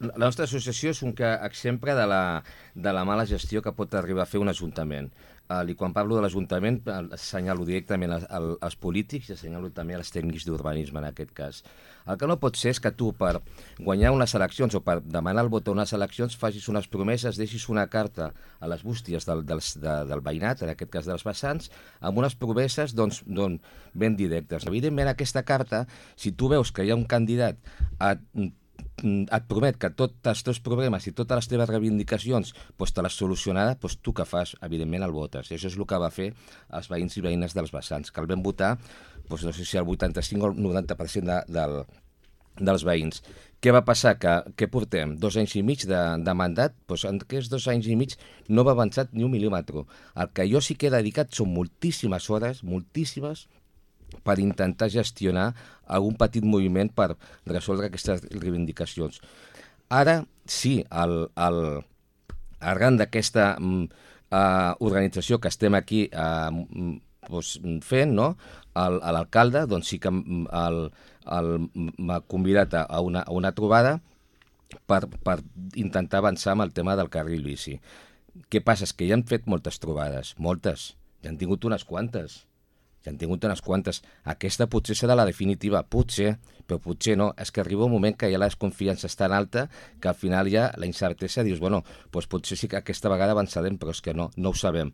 La nostra associació és un exemple de la mala gestió que pot arribar a fer un ajuntament. I quan parlo de l'Ajuntament assenyalo directament als polítics i assenyalo també als tècnics d'urbanisme en aquest cas. El que no pot ser és que tu per guanyar unes eleccions o per demanar el vot a unes eleccions facis unes promeses, deixis una carta a les bústies del veïnat, en aquest cas dels vessants, amb unes promeses ben directes. Evidentment aquesta carta, si tu veus que hi ha un candidat et promet que tots els teus problemes i totes les teves reivindicacions te les solucionarà, tu que fas? Evidentment el votes. I això és el que va fer els veïns i veïnes dels vessants, que el vam votar, no sé si el 85 o el 90% dels veïns. Què va passar? Que portem 2 anys i mig de mandat, en aquests 2 anys i mig no va avançar ni un mil·límetre. El que jo sí que he dedicat són moltíssimes hores, moltíssimes, per intentar gestionar algun petit moviment per resoldre aquestes reivindicacions. Ara, sí, arran d'aquesta organització que estem aquí fent, no? L'alcalde sí que m'ha convidat a una trobada per intentar avançar amb el tema del carril bici. Què passa? És que ja han fet moltes trobades, moltes, ja han tingut unes quantes. Aquesta potser serà la definitiva, potser, però potser no. És que arriba un moment que ja la desconfiança és tan alta que al final ja la incertesa dius, potser sí que aquesta vegada avançarem, però és que no ho sabem.